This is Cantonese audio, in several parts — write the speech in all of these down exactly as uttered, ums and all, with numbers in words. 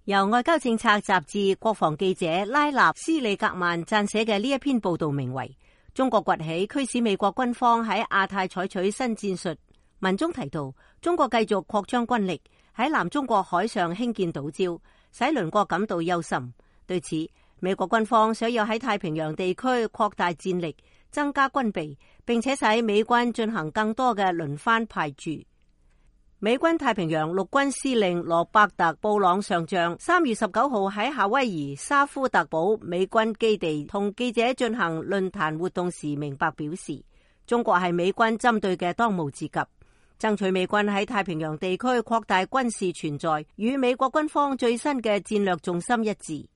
由外交政策雜誌國防記者拉納斯里格曼撰寫嘅呢一篇報道名為《中國崛起驅使美國軍方喺亞太採取新戰術》。文中提到，中國繼續擴張軍力，喺南中國海上興建島礁，使鄰國感到憂心。對此，美國軍方想要喺太平洋地區擴大戰力，增加軍備，並且使美軍進行更多嘅輪番派駐。美軍太平洋陸軍司令羅伯特布朗上將三月十九號喺夏威夷沙夫特堡美軍基地同記者進行論壇活動時明白表示，中國係美軍針對嘅當務之急，爭取美軍喺太平洋地區擴大軍事存在，與美國軍方最新嘅戰略重心一致。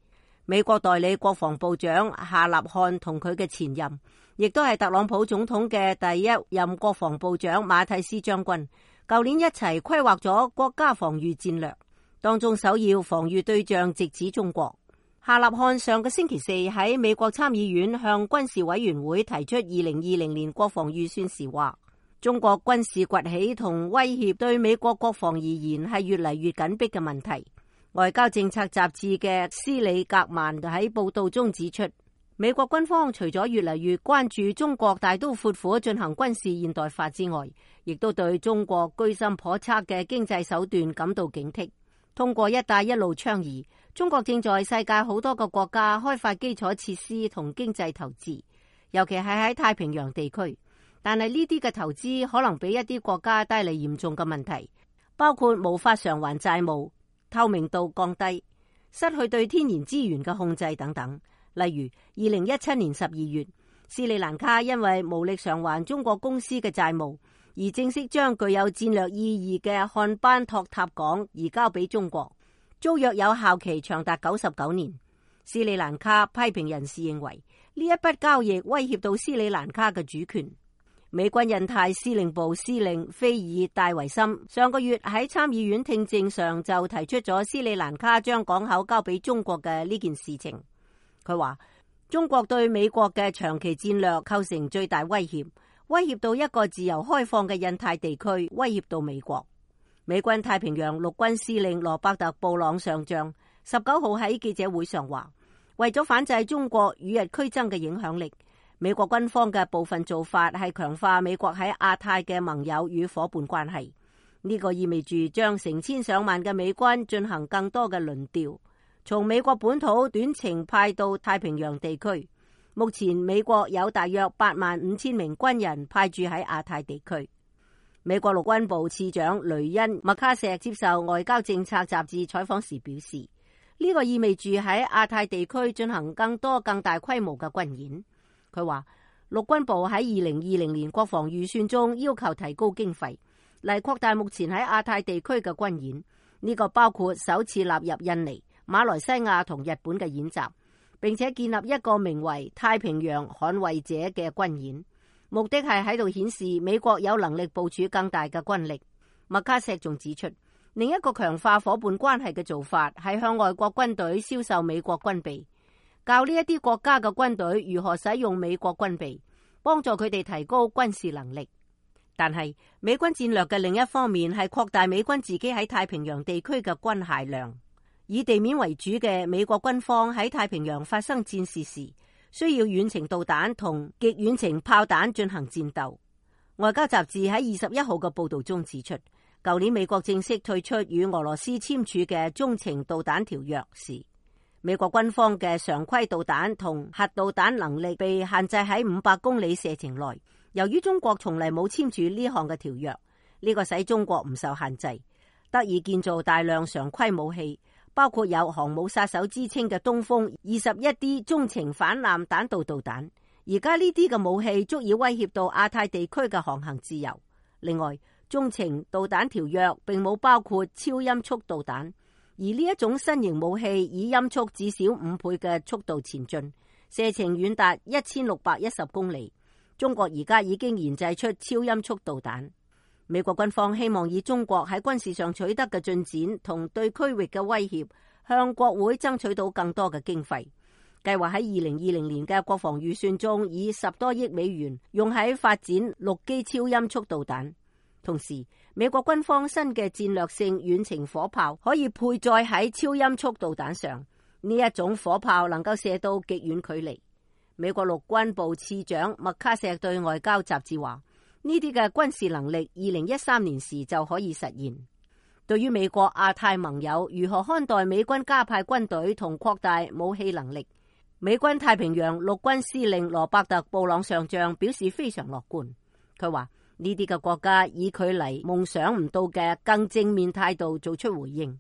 美國代理國防部長夏立漢同佢嘅前任，亦都係特朗普總統嘅第一任國防部長馬蒂斯將軍，舊年一齊規劃咗國家防禦戰略，當中首要防禦對象直指中國。夏立漢上個星期四喺美國參議院向軍事委員會提出二零二零年國防預算時話，中國軍事崛起同威脅對美國國防而言係越嚟越緊迫嘅問題。外交政策雜誌嘅斯里格曼喺報道中指出，美國軍方除咗越嚟越關注中國大刀闊斧進行軍事現代化之外，亦都對中國居心叵測嘅經濟手段感到警惕。通過一帶一路倡議，中國正在世界好多個國家開發基礎設施同經濟投資，尤其係喺太平洋地區。但係呢啲嘅投資可能俾一啲國家帶嚟嚴重嘅問題，包括無法償還債務、透明度降低、失去對天然資源嘅控制等等。例如，二零一七年十二月，斯里蘭卡因為無力償還中國公司嘅債務，而正式將具有戰略意義嘅漢班托塔港移交俾中國，租約有效期長達九十九年。斯里蘭卡批評人士認為，呢一筆交易威脅到斯里蘭卡嘅主權。美軍印太司令部司令菲爾戴維森上個月喺參議院聽證上就提出咗斯里蘭卡將港口交俾中國嘅呢件事情。佢話，中國對美國嘅長期戰略構成最大威脅，威脅到一個自由開放嘅印太地區，威脅到美國。美軍太平洋陸軍司令羅伯特布朗上將十九號喺記者會上話，為咗反制中國與日俱增嘅影響力，美國軍方嘅部分做法係強化美國喺亞太嘅盟友與夥伴關係。呢個意味住將成千上萬嘅美軍進行更多嘅輪調，從美國本土短程派到太平洋地區。目前美國有大約八萬五千名軍人派駐喺亞太地區。美國陸軍部次長雷恩麥卡錫接受外交政策雜誌採訪時表示，呢個意味住喺亞太地區進行更多更大規模嘅軍演。佢話，陸軍部喺二零二零年國防預算中要求提高經費，嚟擴大目前喺亞太地區嘅軍演。呢個包括首次納入印尼、馬來西亞同日本嘅演習，並且建立一個名為太平洋捍衛者嘅軍演，目的係喺度顯示美國有能力部署更大嘅軍力。麥卡錫仲指出，另一個強化夥伴關係嘅做法係向外國軍隊銷售美國軍備，教呢一啲國家嘅軍隊如何使用美國軍備，幫助佢哋提高軍事能力。但係美軍戰略嘅另一方面係擴大美軍自己喺太平洋地區嘅軍械量。以地面為主嘅美國軍方喺太平洋發生戰事時，需要遠程導彈同極遠程炮彈進行戰鬥。外交雜誌喺二十一號嘅報道中指出，舊年美國正式退出與俄羅斯簽署嘅中程導彈條約時，美國軍方嘅常規導彈同核導彈能力被限制喺五百公里射程內。由於中國從嚟冇簽署呢項嘅條約，呢個使中國唔受限制，得以建造大量常規武器，包括有航母殺手之稱嘅東風二十一 D 中程反艦彈道導彈。而家呢啲嘅武器足以威脅到亞太地區嘅航行自由。另外，中程導彈條約並冇包括超音速導彈，而呢一種新型武器以音速至少五倍嘅速度前進，射程遠達一千六百一十公里。中國而家已經研製出超音速導彈。美國軍方希望以中國喺軍事上取得嘅進展同對區域嘅威脅，向國會爭取到更多嘅經費。計劃喺二零二零年嘅國防預算中，以十多億美元用喺發展陸基超音速導彈。同時，美國軍方新嘅戰略性遠程火炮可以配載喺超音速導彈上，呢一種火炮能夠射到極遠距離。美國陸軍部次長麥卡錫對外交雜誌話：呢啲嘅軍事能力，二零一三年時就可以實現。對於美國亞太盟友如何看待美軍加派軍隊同擴大武器能力，美軍太平洋陸軍司令羅伯特·布朗上將表示非常樂觀。佢話：呢啲嘅國家以距離夢想唔到嘅更正面態度做出回應。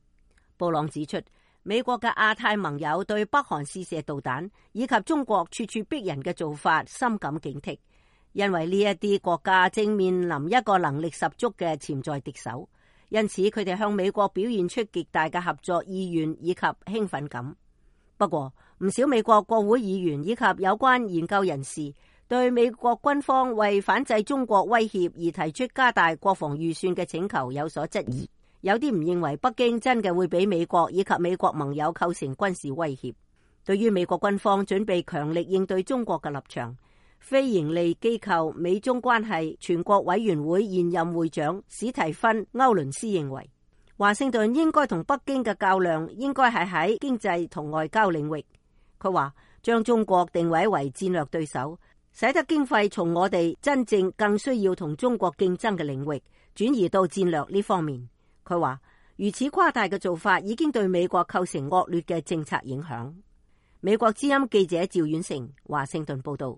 布朗指出，美國嘅亞太盟友對北韓試射導彈以及中國處處逼人嘅做法深感警惕，因為呢一啲國家正面臨一個能力十足嘅潛在敵手，因此佢哋向美國表現出極大嘅合作意願以及興奮感。不過，唔少美國國會議員以及有關研究人士對美國軍方為反制中國威脅而提出加大國防預算嘅請求有所質疑，有啲唔認為北京真嘅會俾美國以及美國盟友構成軍事威脅。對於美國軍方準備強力應對中國嘅立場，非營利機構美中關係全國委員會現任會長史提芬·歐倫斯認為，華盛頓應該同北京嘅較量應該係喺經濟同外交領域。佢話將中國定位為戰略對手，使得經費從我哋真正更需要同中國競爭嘅領域轉移到戰略呢方面。佢話如此誇大嘅做法已經對美國構成惡劣嘅政策影響。美國之音記者趙遠成華盛頓報道。